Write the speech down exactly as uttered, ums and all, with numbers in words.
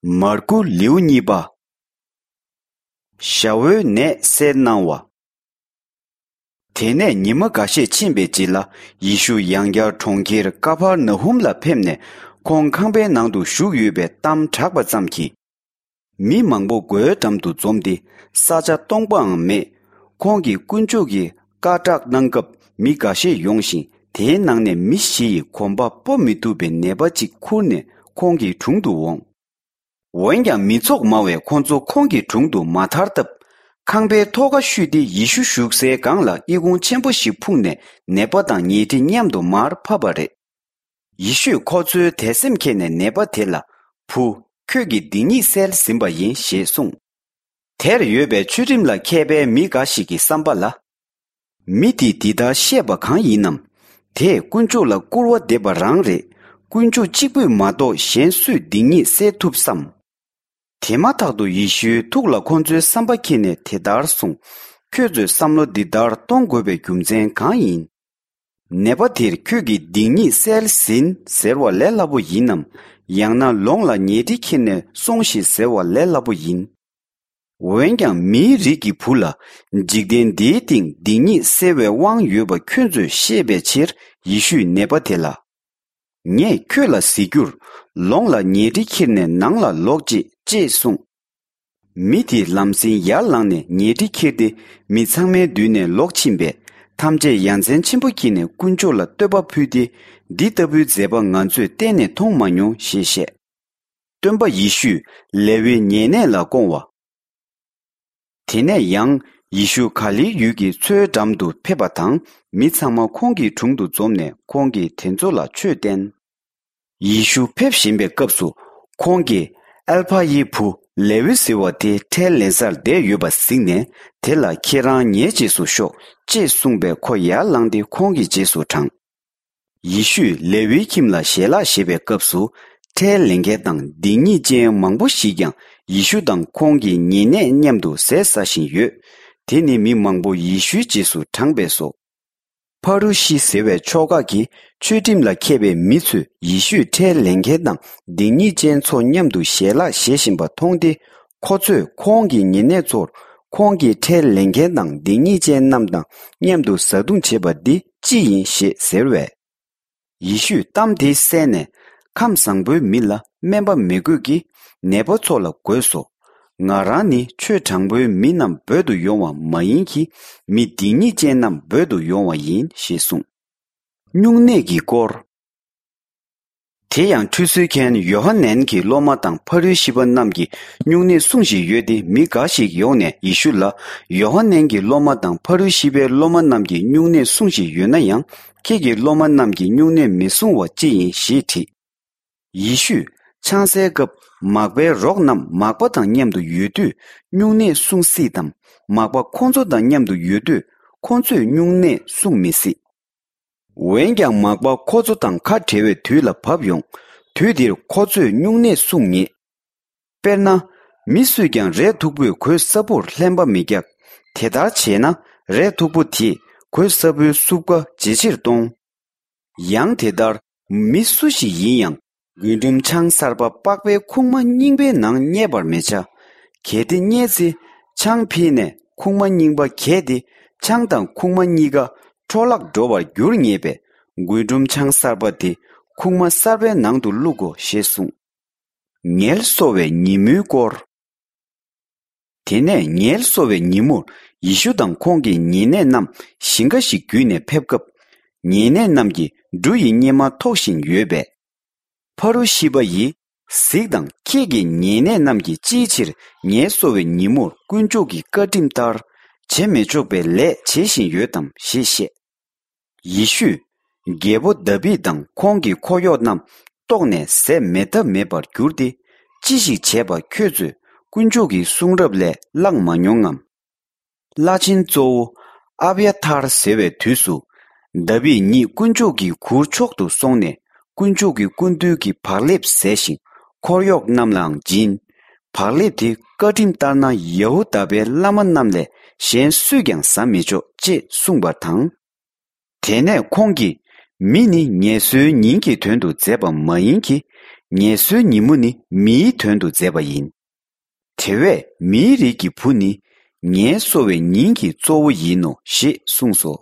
མར་ཀུ་ལེའུ་གཉིས་པ། ཞ་བོའི་ནད་སེལ་གནང་བ། དེ་ནས་ཉི་མ་འགའ་ཤས་ཕྱིན་པའི་རྗེས་ལ། ཡེ་ཤུ་ཡང་བསྐྱར་གྲོང་ཁྱེར་ཀ་ཕར་ན་ཧུམ་ལ་ཕེབས་ནས། ཁོང་ཁང་པའི་ནང་དུ་བཞུགས་ཡོད་པའི་གཏམ་གྲགས་པ་ཙམ་གྱིས། མི་མང་པོ་སྒོའི་འགྲམ་དུ་འཛོམས་ཏེ། ས་ཆ་སྟོང་པའང་མེད། ཁོང་གིས་དཀོན་མཆོག་གི་བཀའ་བསྒྲགས་གནང་སྐབས། མི་འགའ་ཤས་ཡོང་ཞིང་། དེའི་ནང་ནས་མི་བཞི་ཡིས་གོམ་པ་སྤོ་མི་ཐུབ་པའི་ནད་པ་གཅིག་ཁུར་ནས་ཁོང་གི་དྲུང་དུ་འོངས། འོན་ཀྱང་མི་ཚོགས་མང་བས་ཁོ་ཚོ་ཁོང་གི་དྲུང་དུ་མ་ཐར་སྟབས། ཁང་པའི་ཐོག་ཁ་བཤུས་ཏེ་ཡེ་ཤུ་བཞུགས་སའི་སྒང་ལ་ཨི་ཁུང་ཆེན་པོ་ཞིག་ཕུག་ནས། ནད་པ་དང་ཉལ་ཁྲི་མཉམ་དུ་མར་ཕབ་པ་རེད། ཡེ་ཤུས་ཁོ་ཚོའི་དད་སེམས་མཁྱེན་ནས་ནད་པ་དེ་ལ། བུ། ཁྱོད་ཀྱི་སྡིག་ཉེས་བསལ་ཟིན་པ་ཡིན་ཞེས་གསུངས། དེར་ཡོད་པའི་ཆོས་ཁྲིམས་ལ་མཁས་པའི་མི་འགའ་ཞིག་གི་བསམ་པ་ལ། མི་དེས་འདི་ལྟར་བཤད་པ་གང་ཡིན་ནམ། དེས་དཀོན་མཆོག་ལ་སྐུར་བ་འདེབས་པ་རང་རེད། དཀོན་མཆོག་གཅིག་པུས་མ་གཏོགས་གཞན་སུས་སྡིག་ཉེས་སེལ་ཐུབ་བསམ། དེ་མ་ཐག་ཏུ་ཡེ་ཤུའི་ཐུགས་ལ་ཁོ་ཚོའི་བསམ་པ་མཁྱེན་ནས་དེ་ལྟར་གསུངས། ཁྱོད་ཚོས་བསམ་བློ་འདི་ལྟར་གཏོང་དགོས་པའི་རྒྱུ་མཚན་གང་ཡིན། ནད་པ་དེར་ཁྱོད་ཀྱི་སྡིག་ཉེས་བསལ་ཟིན་ཟེར་བ་ལས་སླ་པོ་ཡིན་ནམ། ཡང་ན་ལོངས་ལ་ཉལ་ཁྲི་ཁྱེར་ནས་སོང་ཞིག་ཟེར་བ་ལས་སླ་པོ་ཡིན། འོན་ཀྱང་མིའི་རིགས་ཀྱི་བུ་ལ་འཇིག་རྟེན་འདིའི་སྟེང་སྡིག་ཉེས་སེལ་བའི་དབང་ཡོད་པ་ཁྱོད་ཚོས་ཤེས་པའི་ཕྱིར། ཡེ་ཤུས་ནད་པ་དེ་ལ། ངས་ཁྱོད་ལ་ཟེར་རྒྱུར། ལོངས་ལ་ཉལ་ཁྲི་ཁྱེར་ནས་ནང་ལ་ལོག་ཅིག་ཅེས་གསུངས། མི་དེས་ལམ་སེང་ཡར་ལངས་ནས་ཉལ་ཁྲི་ཁྱེར་ཏེ། མི་ཚང་མའི་མདུན་ནས་ལོག་ཕྱིན་པས། ཐམས་ཅད་ཡ་མཚན་ཆེན་པོ་སྐྱེས་ནས་དཀོན་མཆོག་ལ་བསྟོད་པ་ཕུལ་ཏེ། འདི་ལྟ་བུའི་མཛད་པ་ང་ཚོས་གཏན་ནས་མཐོང་མ་མྱོང་ཞེས་བཤད། སྟོན་པ་ཡེ་ཤུས་ལེ་ཝིའི་ཉེ་གནས་ལ་བསྐོང་བ། དེ་ནས་ཡང་ཡེ་ཤུ་ག་ལིལ་ཡུལ་གྱི་མཚོའི་འགྲམ་དུ་ཕེབས་པ་དང་། མི་ཚང་མ་ཁོང་གི་དྲུང་དུ་འཛོམས་ནས་ཁོང་གིས་དེ་ཚོ་ལ་ཆོས་བསྟན། ཡེ་ཤུ་ཕེབས་བཞིན་པའི་སྐབས་སུ། ཁོང་གིས་ཨལ་ཕ་ཡི་བུ་ལེ་ཝི་ཟེར་བ་དེ་ཁྲལ་ལེན་སར་བསྡད་ཡོད་པ་གཟིགས་ནས། དེ་ལ་ཁྱེད་རང་ངའི་རྗེས་སུ་ཤོག་ཅེས་གསུངས་པས། ཁོ་ཡར་ལངས་ཏེ་ཁོང་གི་རྗེས་སུ་འབྲངས། ཡེ་ཤུས་ལེ་ཝིའི་ཁྱིམ་ལ་ཞལ་ལག་བཞེས་པའི་སྐབས་སུ། ཁྲལ་ལེན་མཁན་དང་སྡིག་ཉེས་ཅན་མང་པོ་ཞིག་ཀྱང་ཡེ་ཤུ་དང་ཁོང་གི་ཉེ་གནས་མཉམ་དུ་ཟས་ཟ་བཞིན་ཡོད། དེ་ནི་མི་མང་པོ་ཡེ་ཤུའི་རྗེས་སུ་འབྲངས་པས་སོ། ཕ་རུ་ཤི་ཟེར་བའི་ཕྱོགས་ཁག་གི་ཆོས་ཁྲིམས་ལ་མཁས་པའི་མི་ཚོས་ཡེ་ཤུས་ཁྲལ་ལེན་མཁན་དང་སྡིག་ཉེས་ཅན་ཚོ་མཉམ་དུ་ཞལ་ལག་བཞེས་བཞིན་པ་མཐོང་སྟེ། ཁོ་ཚོས་ཁོང་གི་ཉེ་གནས་ཚོར། ཁོང་གིས་ཁྲལ་ལེན་མཁན་དང་སྡིག་ཉེས་ཅན་རྣམས་དང་མཉམ་དུ་བཟའ་བཏུང་བྱེད་པ་འདི་ཅི་ཡིན་ཞེས་ཟེར་བས། ཡེ་ཤུས་གཏམ་དེ་གསན་ནས། ཁམས་བཟང་པོའི་མི་ལ་སྨན་པ་མི་དགོས་ཀྱི། ནད་པ་ཚོ་ལ་དགོས་སོ། ང་རང་ནི་ཆོས་དྲང་པོའི་མི་རྣམས་འབོད་དུ་ཡོང་བ་མ་ཡིན་གྱི། མི་སྡིག་ཉེས་ཅན་རྣམས་འབོད་དུ་ཡོང་བ་ཡིན་ཞེས་གསུངས། སྨྱུང་གནས་ཀྱི་སྐོར། དེ་ཡང་ཁྲུས་གསོལ་མཁན་ཡོ་ཧ་ནན་གྱི་སློབ་མ་དང་ཕ་རུ་ཤི་པ་རྣམས་ཀྱི་སྨྱུང་གནས་སྲུང་བཞིན་ཡོད་དེ། མི་འགའ་ཞིག་ཡོང་ནས་ཡེ་ཤུ་ལ། ཡོ་ཧ་ནན་གྱི་སློབ་མ་དང་ཕ་རུ་ཤི་པའི་སློབ་མ་རྣམས་ཀྱི་སྨྱུང་གནས་སྲུང་བཞིན་ཡོད་ན་ཡང་། ཁྱེད་ཀྱི་སློབ་མ་རྣམས་ཀྱི་སྨྱུང་གནས་མི་སྲུང་བ་ཅི་ཡིན་ཞེས་དྲིས། ཡེ་ཤུས་ཆང་སའི་སྐབས་མག་པའི་རོགས་རྣམས་མག་པ་དང་མཉམ་དུ་ཡོད་དུས། སྨྱུང་གནས་སྲུང་སྲིད་དམ། མག་པ་ཁོ་ཚོ་དང་མཉམ་དུ་ཡོད་དུས། ཁོ་ཚོས་སྨྱུང་གནས་སྲུང་མི་སྲིད། འོན་ཀྱང་མག་པ་ཁོ་ཚོ་དང་ཁ་བྲལ་བའི་དུས་ལ་བབ་ཡོང་། དུས་དེར་ཁོ་ཚོས་སྨྱུང་གནས་སྲུང་ངེས། དཔེར་ན། མི་སུས་ཀྱང་རས་མཐུག་པོས་གོས་སྲབ་པོར་ལྷན་པ་མི་རྒྱག། དེ་ལྟར་བྱས་ན། རས་མཐུག་པོ་དེས་གོས་སྲབ་པོའི་སྲུབས་ཀ་ཇེ་ཆེར་གཏོང་། ཡང་དེ་ལྟར། མི་སུ་ཞིག་ཡིན་ཡང་། རྒུན་འབྲུམ་ཆང་གསར་པ་པགས་པའི་ཁུག་མ་རྙིང་པའི་ནང་བསྙལ་བར་མི་བྱ། གལ་ཏེ་བསྙལ་ཚེ། ཆང་ཕྱིས་ནས་ཁུག་མ་རྙིང་པ་གས་ཏེ། ཆང་དང་ཁུག་མ་གཉིས་ཀ་འཕྲོ་བརླག་འགྲོ་བར་འགྱུར་ངེས་པས། རྒུན་འབྲུམ་ཆང་གསར་པ་དེ་ཁུག་མ་གསར་པའི་ནང་དུ་བླུག་གོ་ཞེས་གསུངས། ངལ་གསོ་བའི་ཉིན་མོའི་སྐོར། དེ་ནས་ངལ་གསོ་བའི་ཉིན་མོར་ཡེ་ཤུ་དང་ཁོང་གི་ཉེ་གནས་རྣམས་ཞིང་ཁ་ཞིག་བརྒྱུད་ནས་ཕེབས་སྐབས། ཉེ་གནས་རྣམས་ཀྱིས་འབྲུ་ཡི་སྙེ་མ་ཐོགས་བཞིན་ཡོད་པས། ཕ་རུ་ཤི་པ་ཡིས། གཟིགས་དང་། ཁྱེད་ཀྱི་ཉེ་གནས་རྣམས་ཀྱིས་ཅིའི་ཕྱིར་ངལ་གསོ་བའི་ཉིན་མོར་དཀོན་མཆོག་གི་བཀའ་ཁྲིམས་ལྟར་བྱེད་མི་ཆོག་པའི་ལས་བྱེད་བཞིན་ཡོད་དམ་ཞེས་བཤད། ཡེ་ཤུས། རྒྱལ་པོ་དཱ་བིད་དང་ཁོང་གི་འཁོར་གཡོག་རྣམས་ལྟོགས་ནས་ཟས་མེད་ཐབས་མེད་པར་གྱུར་ཏེ། ཅི་ཞིག་བྱས་པ་ཁྱོད་ཚོས་དཀོན་མཆོག་གི་གསུང་རབ་ལས་བླངས་མ་མྱོང་ངམ། བླ་ཆེན་གཙོ་བོ་ཨབ་ཡ་ཐར་ཟེར་བའི་དུས་སུ། དཱ་བིད་ཉིད་དཀོན་མཆོག་གི་གུར་མཆོག་ཏུ་སོང་ནས། དཀོན་མཆོག་གི་སྐུ་མདུན་གྱི་བག་ལེབ་བཟས་ཤིང་། འཁོར་གཡོག་རྣམས་ལའང་སྦྱིན། བག་ལེབ་དེ་བཀའ་ཁྲིམས་ལྟར་ན་ཡ་ཧུ་དཱ་པའི་བླ་མ་རྣམས་ལས་གཞན་སུས་ཀྱང་ཟ་མི་ཆོག་ཅེས་གསུངས་པ་དང་། དེ་ནས་ཁོང་གིས། མི་ནི་ངལ་གསོའི་ཉིན་གྱི་དོན་དུ་མཛད་པ་མ་ཡིན་གྱི། ངལ་གསོའི་ཉིན་མོ་ནི་མིའི་དོན་དུ་མཛད་པ་ཡིན། དེ་བས་མིའི་རིགས་ཀྱི་བུ་ནི་ངལ་གསོ་བའི་ཉིན་གྱི་གཙོ་བོ་ཡིན་ནོ་ཞེས་གསུངས་སོ།